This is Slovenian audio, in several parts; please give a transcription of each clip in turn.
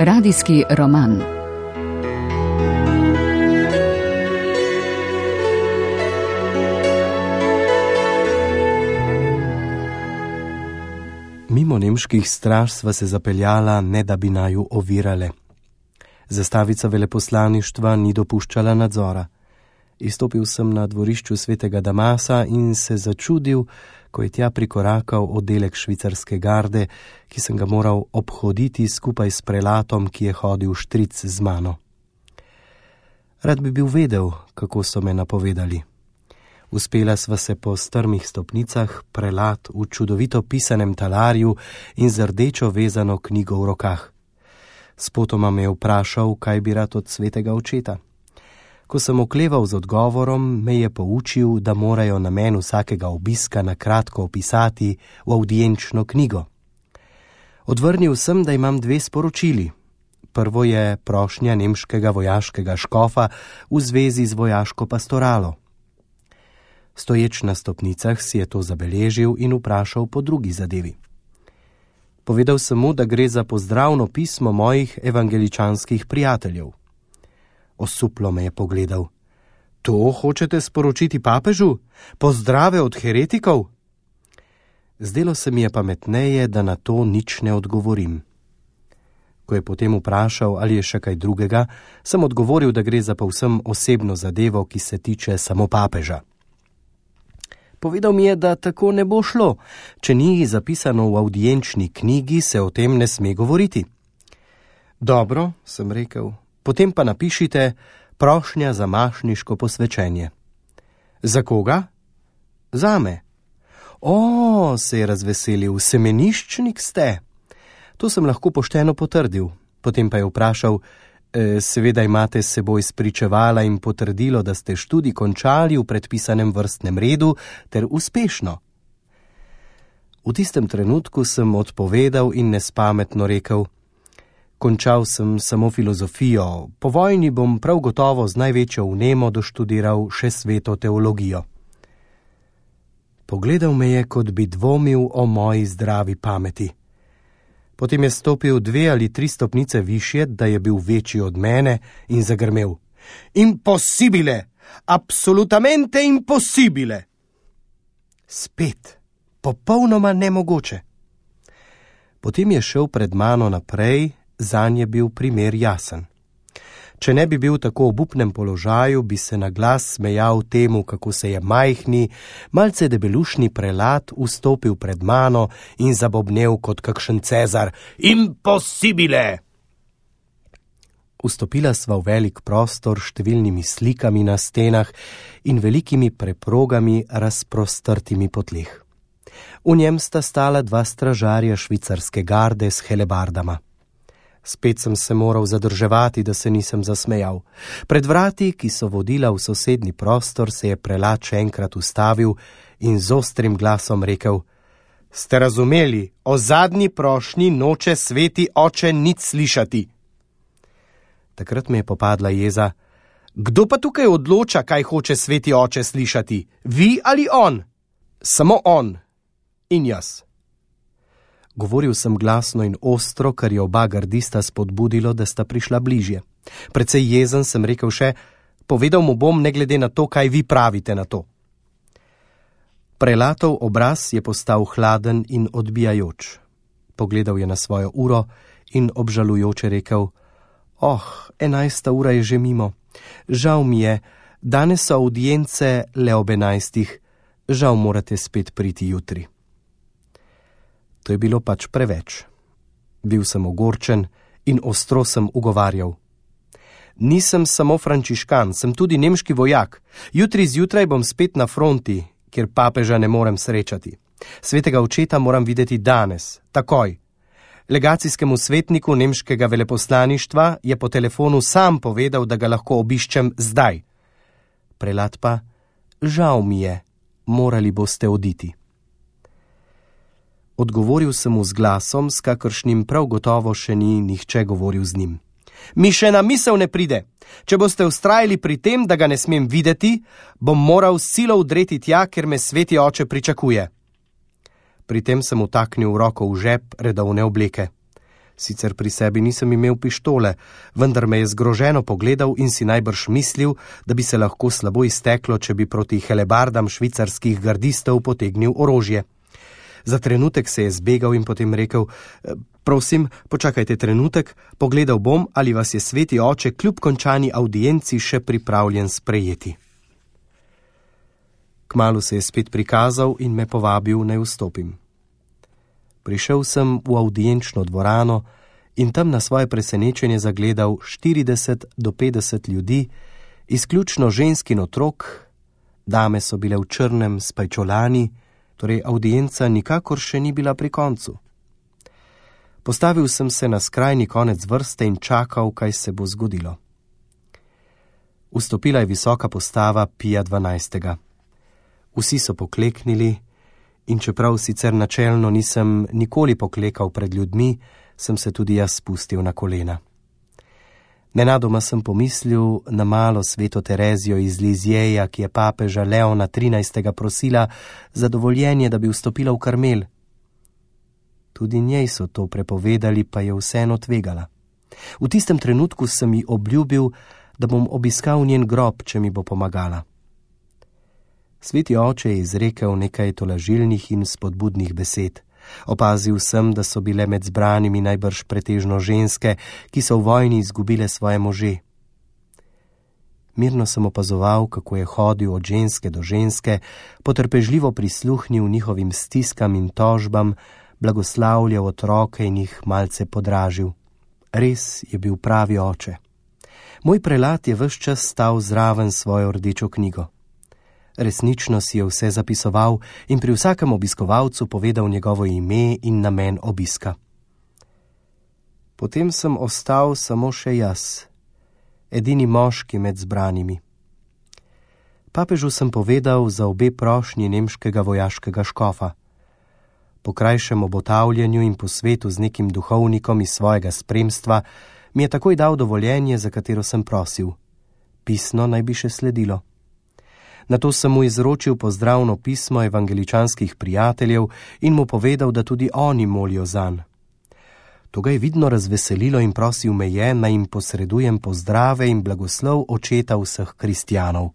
Radijski roman. Mimo nemških straž sva se zapeljala, ne da bi naju ovirale. Zastavica veleposlaništva ni dopuščala nadzora. Izstopil sem na dvorišču svetega Damasa in se začudil, ko je tja prikorakal oddelek švicarske garde, ki sem ga moral obhoditi skupaj s prelatom, ki je hodil štric z mano. Rad bi bil vedel, kako so me napovedali. Uspela sva se po strmih stopnicah, prelat v čudovito pisanem talarju in z rdečo vezano knjigo v rokah. Spotoma me je vprašal, kaj bi rad od svetega očeta. Ko sem okleval z odgovorom, me je poučil, da morajo namen vsakega obiska na kratko opisati v avdienčno knjigo. Odvrnil sem, da imam 2 sporočili. Prvo je prošnja nemškega vojaškega škofa v zvezi z vojaško pastoralo. Stoječ na stopnicah si je to zabeležil in vprašal po drugi zadevi. Povedal sem mu, da gre za pozdravno pismo mojih evangeličanskih prijateljev. Osuplo me je pogledal. To hočete sporočiti papežu? Pozdrave od heretikov? Zdelo se mi je pametneje, da na to nič ne odgovorim. Ko je potem vprašal, ali je še kaj drugega, sem odgovoril, da gre za povsem osebno zadevo, ki se tiče samo papeža. Povedal mi je, da tako ne bo šlo. Če ni zapisano v avdienčni knjigi, se o tem ne sme govoriti. Dobro, sem rekel, potem pa napišite prošnja za mašniško posvečenje. Za koga? Zame. O, se je razveselil, semeniščnik ste. To sem lahko pošteno potrdil. Potem pa je vprašal, seveda imate s seboj spričevala in potrdilo, da ste študij končali v predpisanem vrstnem redu ter uspešno. V tistem trenutku sem odpovedal in nespametno rekel, končal sem samo filozofijo, po vojni bom prav gotovo z največjo vnemo doštudiral še sveto teologijo. Pogledal me je, kot bi dvomil o moji zdravi pameti. Potem je stopil 2 ali 3 stopnice višje, da je bil večji od mene in zagrmel. Impossibile! Absolutamente impossibile! Spet, popolnoma nemogoče. Potem je šel pred mano naprej, zanj je bil primer jasen. Če ne bi bil tako v obupnem položaju, bi se na glas smejal temu, kako se je majhni, malce debelušni prelat vstopil pred mano in zabobnel kot kakšen Cezar. Impossibile! Vstopila sva v velik prostor s številnimi slikami na stenah in velikimi preprogami razprostrtimi po tleh. V njem sta stala 2 stražarja švicarske garde s helebardama. Spet sem se moral zadrževati, da se nisem zasmejal. Pred vrati, ki so vodila v sosednji prostor, se je prelat še enkrat ustavil in z ostrim glasom rekel: Ste razumeli, o zadnji prošnji noče sveti oče nič slišati. Takrat me je popadla jeza. Kdo pa tukaj odloča, kaj hoče sveti oče slišati? Vi ali on? Samo on. In jaz. Govoril sem glasno in ostro, kar je oba gardista spodbudilo, da sta prišla bližje. Precej jezen sem rekel še, povedal mu bom, ne glede na to, kaj vi pravite na to. Prelatov obraz je postal hladen in odbijajoč. Pogledal je na svojo uro in obžalujoče rekel, 11. ura je že mimo. Žal mi je, danes so avdience le ob 11. Žal morate spet priti jutri. To je bilo pač preveč. Bil sem ogorčen in ostro sem ugovarjal. Nisem samo frančiškan, sem tudi nemški vojak. Jutri zjutraj bom spet na fronti, kjer papeža ne morem srečati. Svetega očeta moram videti danes, takoj. Legacijskemu svetniku nemškega veleposlaništva je po telefonu sam povedal, da ga lahko obiščem zdaj. Prelat pa, žal mi je, morali boste oditi. Odgovoril sem mu z glasom, s kakršnim prav gotovo še ni nihče govoril z njim. Mi še na misel ne pride. Če boste vztrajali pri tem, da ga ne smem videti, bom moral silo vdreti tja, ker me sveti oče pričakuje. Pri tem sem vtaknil roko v žep redovne obleke. Sicer pri sebi nisem imel pištole, vendar me je zgroženo pogledal in si najbrž mislil, da bi se lahko slabo izteklo, če bi proti helebardam švicarskih gardistov potegnil orožje. Za trenutek se je zbegal in potem rekel: prosim, počakajte trenutek, pogledal bom, ali vas je sveti oče kljub končani avdienci še pripravljen sprejeti. Kmalu se je spet prikazal in me povabil, naj vstopim. Prišel sem v avdienčno dvorano in tam na svoje presenečenje zagledal 40 do 50 ljudi, izključno žensk in otrok. Dame so bile v črnem s pajčolani, torej avdienca nikakor še ni bila pri koncu. Postavil sem se na skrajni konec vrste in čakal, kaj se bo zgodilo. Vstopila je visoka postava Pija XII. Vsi so pokleknili in čeprav sicer načelno nisem nikoli poklekal pred ljudmi, sem se tudi jaz spustil na kolena. Nenadoma sem pomislil na malo sveto Terezijo iz Lizjeja, ki je papeža Leona XIII. Prosila za dovoljenje, da bi vstopila v Karmel. Tudi njej so to prepovedali, pa je vseeno tvegala. V tistem trenutku sem ji obljubil, da bom obiskal njen grob, če mi bo pomagala. Sveti oče je izrekel nekaj tolažilnih in spodbudnih besed. Opazil sem, da so bile med zbranimi najbrž pretežno ženske, ki so v vojni izgubile svoje može. Mirno sem opazoval, kako je hodil od ženske do ženske, potrpežljivo prisluhnil njihovim stiskam in tožbam, blagoslavljal otroke in jih malce podražil. Res je bil pravi oče. Moj prelat je ves čas stal zraven svojo rdečo knjigo. Resnično si je vse zapisoval in pri vsakem obiskovalcu povedal njegovo ime in namen obiska. Potem sem ostal samo še jaz, edini moški med zbranimi. Papežu sem povedal za obe prošnji nemškega vojaškega škofa. Po krajšem obotavljanju in posvetu z nekim duhovnikom iz svojega spremstva mi je takoj dal dovoljenje, za katero sem prosil. Pisno naj bi še sledilo. Nato sem mu izročil pozdravno pismo evangeličanskih prijateljev in mu povedal, da tudi oni molijo zanj. To ga je vidno razveselilo in prosil me je, naj jim posredujem pozdrave in blagoslov očeta vseh kristjanov.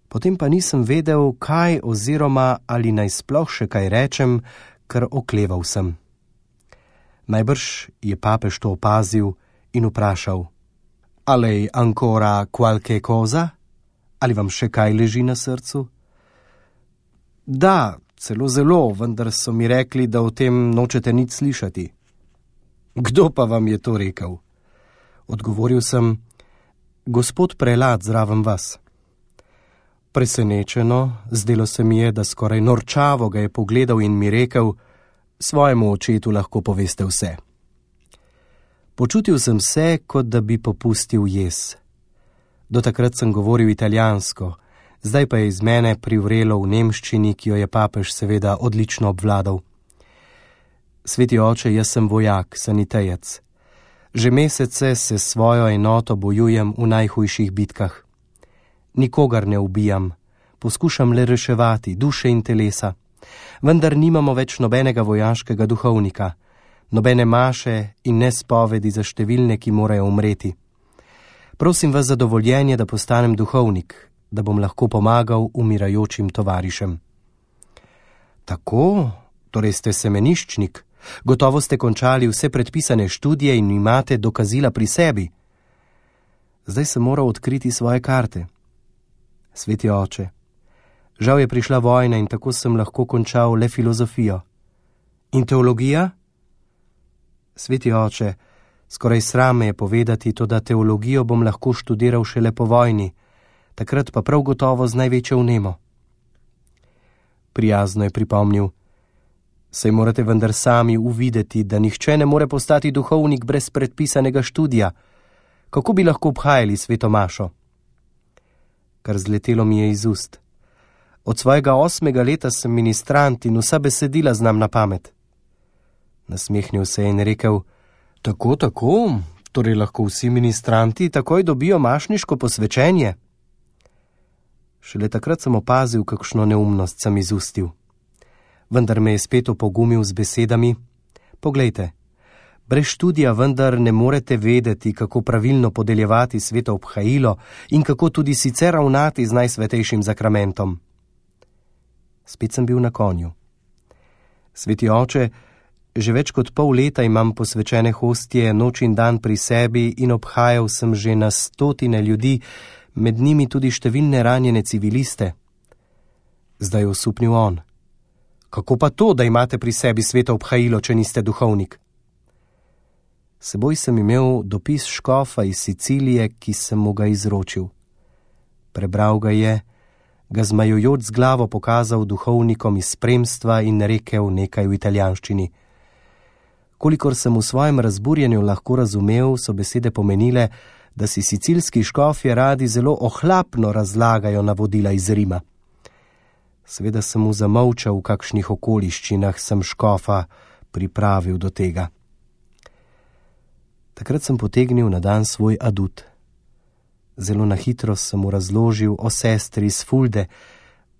Potem pa nisem vedel, kaj oziroma ali naj sploh še kaj rečem, ker okleval sem. Najbrž je papež to opazil in vprašal: "Alej ancora qualche cosa? Ali vam še kaj leži na srcu?" "Da, celo zelo, vendar so mi rekli, da o tem nočete nič slišati." "Kdo pa vam je to rekel?" Odgovoril sem: "Gospod prelat zraven vas." Presenečeno, zdelo se mi je, da skoraj norčavo ga je pogledal in mi rekel: "Svojemu očetu lahko poveste vse." Počutil sem se, kot da bi popustil jez. Do takrat sem govoril italijansko, zdaj pa je iz mene privrelo v nemščini, ki jo je papež seveda odlično obvladal. "Sveti oče, jaz sem vojak, sanitejec. Že mesece se s svojo enoto bojujem v najhujših bitkah. Nikogar ne ubijam, poskušam le reševati duše in telesa, vendar nimamo več nobenega vojaškega duhovnika, nobene maše in ne spovedi za številne, ki morajo umreti. Prosim vas za dovoljenje, da postanem duhovnik, da bom lahko pomagal umirajočim tovarišem." "Tako, torej ste semeniščnik, gotovo ste končali vse predpisane študije in imate dokazila pri sebi." Zdaj sem moral odkriti svoje karte. "Sveti oče, žal je prišla vojna in tako sem lahko končal le filozofijo." "In teologija?" "Sveti oče, skoraj sram me je povedati, toda teologijo bom lahko študiral šele po vojni, takrat pa prav gotovo z največjo vnemo." Prijazno je pripomnil: "Saj morate vendar sami uvideti, da nihče ne more postati duhovnik brez predpisanega študija. Kako bi lahko obhajali sveto mašo?" Kar zletelo mi je iz ust. Od svojega 8. leta sem ministrant in vsa besedila znam na pamet. Nasmehnil se je in rekel: Tako, torej lahko vsi ministranti takoj dobijo mašniško posvečenje?" Šele takrat sem opazil, kakšno neumnost sem izustil. Vendar me je spet opogumil z besedami: Poglejte, brez študija vendar ne morete vedeti, kako pravilno podeljevati sveto obhajilo in kako tudi sicer ravnati z najsvetejšim zakramentom. Spet sem bil na konju. Sveti oče, že več kot pol leta imam posvečene hostije noč in dan pri sebi in obhajal sem že na 100 ljudi, med njimi tudi številne ranjene civiliste. Zdaj je osupnil on. Kako pa to, da imate pri sebi sveto obhajilo, če niste duhovnik? Seboj sem imel dopis škofa iz Sicilije, ki sem mu ga izročil. Prebral ga je, ga zmajujoč z glavo pokazal duhovnikom iz spremstva in rekel nekaj v italijanščini. Kolikor sem v svojem razburjenju lahko razumel, so besede pomenile, da si sicilski škofje radi zelo ohlapno razlagajo navodila iz Rima. Seveda sem mu zamolčal, v kakšnih okoliščinah sem škofa pripravil do tega. Takrat sem potegnil na dan svoj adut. Zelo na hitro sem mu razložil o sestri iz Fulde,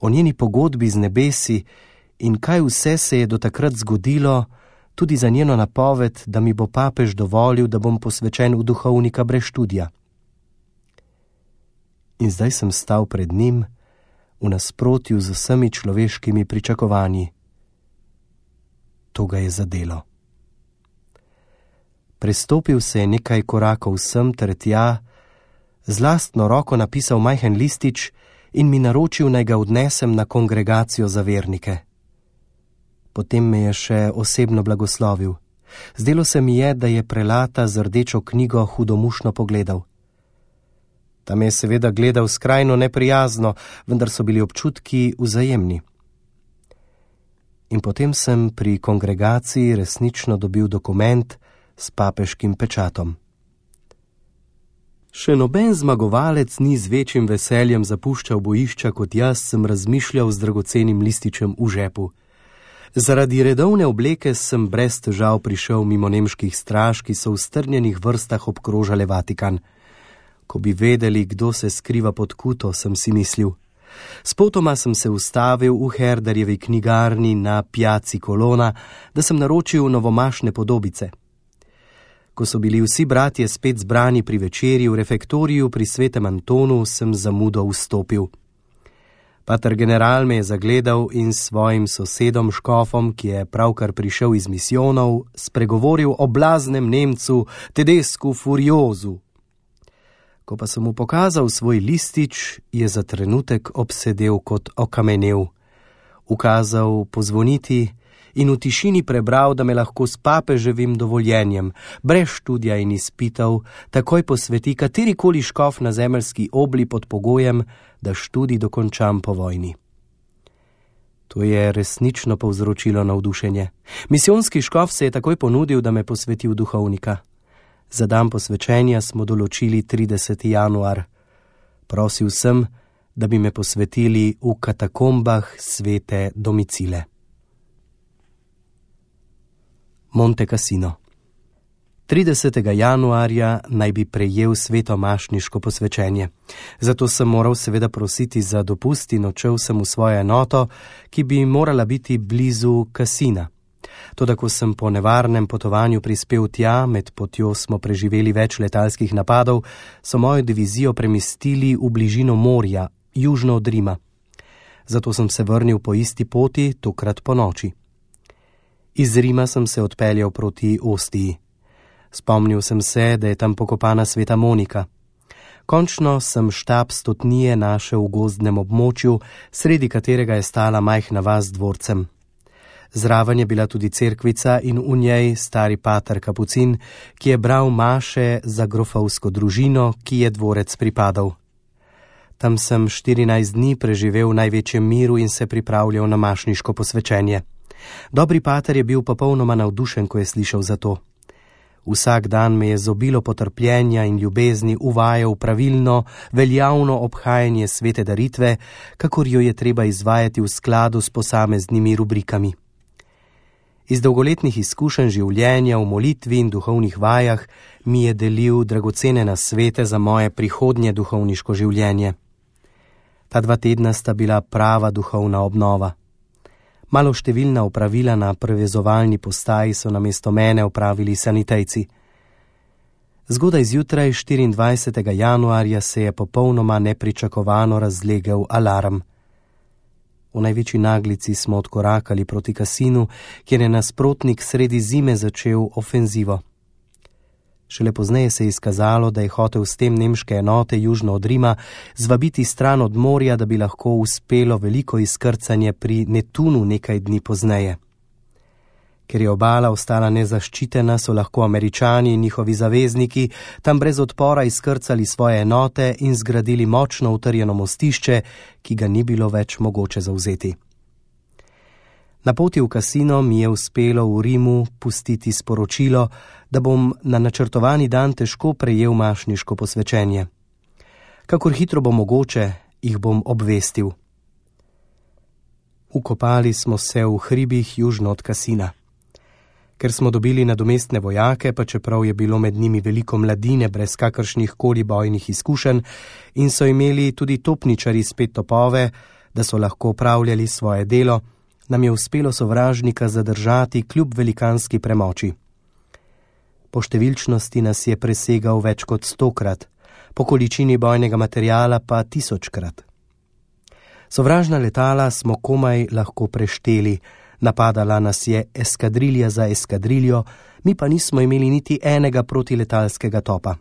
o njeni pogodbi z nebesi in kaj vse se je do takrat zgodilo, tudi za njeno napoved, da mi bo papež dovolil, da bom posvečen v duhovnika brez študija. In zdaj sem stal pred njim, v nasprotju z vsemi človeškimi pričakovanji. To ga je zadelo. Prestopil se je nekaj korakov sem ter tja, z lastno roko napisal majhen listič in mi naročil, naj ga odnesem na kongregacijo za vernike. Potem me je še osebno blagoslovil. Zdelo se mi je, da je prelata z rdečo knjigo hudomušno pogledal. Tam je seveda gledal skrajno neprijazno, vendar so bili občutki vzajemni. In potem sem pri kongregaciji resnično dobil dokument s papeškim pečatom. Še noben zmagovalec ni z večjim veseljem zapuščal bojišča kot jaz, sem razmišljal z dragocenim lističem v žepu. Zaradi redovne obleke sem brez težav prišel mimo nemških straž, ki so v strnjenih vrstah obkrožale Vatikan. Ko bi vedeli, kdo se skriva pod kuto, sem si mislil. Spotoma sem se ustavil v Herderjevi knjigarni na Piazzi Colonna, da sem naročil novomašne podobice. Ko so bili vsi bratje spet zbrani pri večerji v refektoriju pri svetem Antonu, sem zamudo vstopil. Pater general me je zagledal in s svojim sosedom škofom, ki je pravkar prišel iz misijonov, spregovoril o blaznem Nemcu Tedescu Furiozu. Ko pa sem mu pokazal svoj listič, je za trenutek obsedel kot okamenel. Ukazal pozvoniti in v tišini prebral, da me lahko s papeževim dovoljenjem, brez študija in izpitov, takoj posveti katerikoli škof na zemeljski obli pod pogojem, da študij dokončam po vojni. To je resnično povzročilo navdušenje. Misijonski škof se je takoj ponudil, da me posveti v duhovnika. Za dan posvečenja smo določili 30. januar. Prosil sem, da bi me posvetili v katakombah svete Domicile. Monte Cassino. 30. januarja naj bi prejel svetomašniško posvečenje. Zato sem moral seveda prositi za dopust in odšel sem v svojo enoto, ki bi morala biti blizu Cassina. Toda ko sem po nevarnem potovanju prispel tja, med potjo smo preživeli več letalskih napadov, so mojo divizijo premestili v bližino morja, južno od Rima. Zato sem se vrnil po isti poti, tokrat po noči. Iz Rima sem se odpeljal proti Ostiji. Spomnil sem se, da je tam pokopana sveta Monika. Končno sem štab stotnije našel v gozdnem območju, sredi katerega je stala majhna vas z dvorcem. Zraven je bila tudi cerkvica in v njej stari pater Kapucin, ki je bral maše za grofovsko družino, ki je dvorec pripadal. Tam sem 14 dni preživel v največjem miru in se pripravljal na mašniško posvečenje. Dobri pater je bil popolnoma navdušen, ko je slišal za to. Vsak dan me je z obilo potrpljenja in ljubezni uvajal pravilno, veljavno obhajanje svete daritve, kakor jo je treba izvajati v skladu s posameznimi rubrikami. Iz dolgoletnih izkušenj življenja v molitvi in duhovnih vajah mi je delil dragocene nasvete za moje prihodnje duhovniško življenje. Ta 2 tedna sta bila prava duhovna obnova. Maloštevilna opravila na prevezovalni postaji so namesto mene opravili sanitejci. Zgodaj zjutraj 24. januarja se je popolnoma nepričakovano razlegel alarm. V največji naglici smo odkorakali proti kasinu, kjer je nasprotnik sredi zime začel ofenzivo. Šele pozneje se je izkazalo, da je hotel s tem nemške enote južno od Rima zvabiti stran od morja, da bi lahko uspelo veliko izkrcanje pri Netunu nekaj dni pozneje. Ker je obala ostala nezaščitena, so lahko Američani in njihovi zavezniki tam brez odpora izkrcali svoje enote in zgradili močno utrjeno mostišče, ki ga ni bilo več mogoče zavzeti. Na poti v kasino mi je uspelo v Rimu pustiti sporočilo, da bom na načrtovani dan težko prejel mašniško posvečenje. Kakor hitro bo mogoče, jih bom obvestil. Ukopali smo se v hribih južno od kasina. Ker smo dobili nadomestne vojake, pa čeprav je bilo med njimi veliko mladine brez kakršnih koli bojnih izkušenj in so imeli tudi topničari spet topove, da so lahko opravljali svoje delo, nam je uspelo sovražnika zadržati kljub velikanski premoči. Po številčnosti nas je presegal več kot 100-krat, po količini bojnega materiala pa 1000-krat. Sovražna letala smo komaj lahko prešteli, napadala nas je eskadrilja za eskadriljo, mi pa nismo imeli niti enega protiletalskega topa.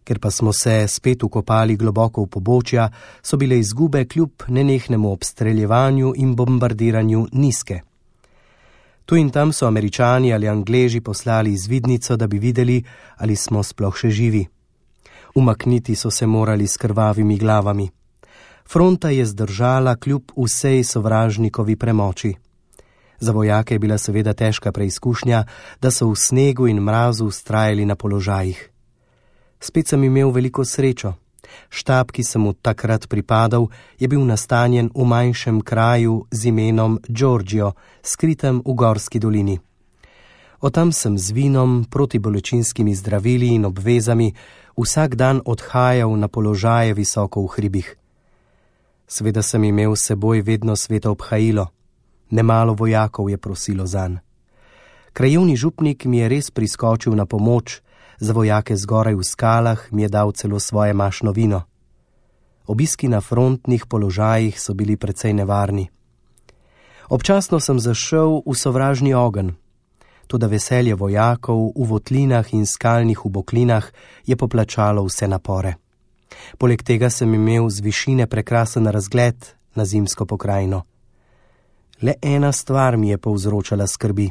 Ker pa smo se spet ukopali globoko v pobočja, so bile izgube kljub nenehnemu obstreljevanju in bombardiranju nizke. Tu in tam so Američani ali Angleži poslali izvidnico, da bi videli, ali smo sploh še živi. Umakniti so se morali s krvavimi glavami. Fronta je zdržala kljub vsej sovražnikovi premoči. Za vojake je bila seveda težka preizkušnja, da so v snegu in mrazu vztrajali na položajih. Spet sem imel veliko srečo. Štab, ki sem mu takrat pripadal, je bil nastanjen v manjšem kraju z imenom Giorgio, skritem v gorski dolini. Od tam sem z vinom, protibolečinskimi zdravili in obvezami vsak dan odhajal na položaje visoko v hribih. Seveda sem imel s seboj vedno sveto obhajilo. Nemalo vojakov je prosilo zanj. Krajevni župnik mi je res priskočil na pomoč, za vojake zgoraj v skalah mi je dal celo svoje mašno vino. Obiski na frontnih položajih so bili precej nevarni. Občasno sem zašel v sovražni ogenj, toda veselje vojakov v votlinah in skalnih uboklinah je poplačalo vse napore. Poleg tega sem imel z višine prekrasen razgled na zimsko pokrajino. Le ena stvar mi je povzročala skrbi.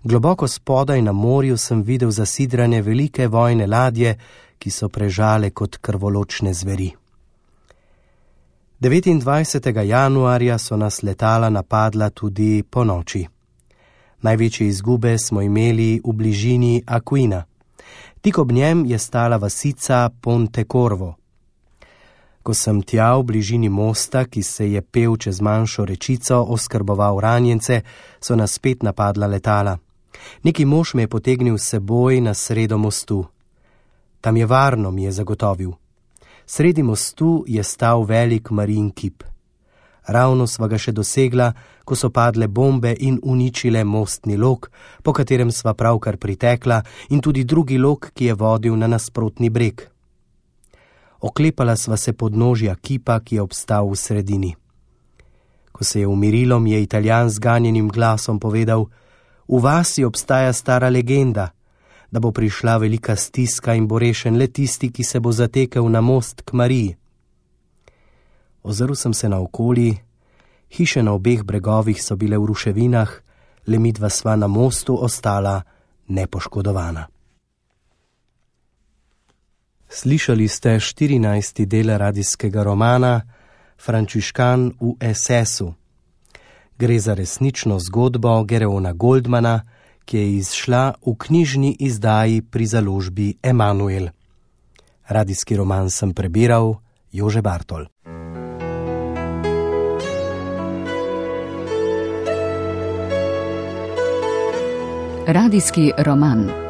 Globoko spodaj na morju sem videl zasidrane velike vojne ladje, ki so prežale kot krvoločne zveri. 29. januarja so nas letala napadla tudi po noči. Največje izgube smo imeli v bližini Aquina. Tik ob njem je stala vasica Pontecorvo. Ko sem tja v bližini mosta, ki se je pel čez manjšo rečico, oskrboval ranjence, so nas spet napadla letala. Neki mož me je potegnil s seboj na sredo mostu. Tam je varno, mi je zagotovil. Sredi mostu je stal velik Marijin kip. Ravno sva ga še dosegla, ko so padle bombe in uničile mostni lok, po katerem sva pravkar pritekla, in tudi drugi lok, ki je vodil na nasprotni breg. Oklepala sva se podnožja kipa, ki je obstal v sredini. Ko se je umirilo, mi je Italijan z ganjenim glasom povedal: v vasi obstaja stara legenda, da bo prišla velika stiska in bo rešen le tisti, ki se bo zatekel na most k Mariji. Ozrl sem se naokoli, hiše na obeh bregovih so bile v ruševinah, le midva sva na mostu ostala nepoškodovana. Slišali ste 14. del radijskega romana Frančiškan v SS-u. Gre za resnično zgodbo Gereona Goldmana, ki je izšla v knjižni izdaji pri založbi Emanuel. Radijski roman sem prebiral Jože Bartol. Radijski roman.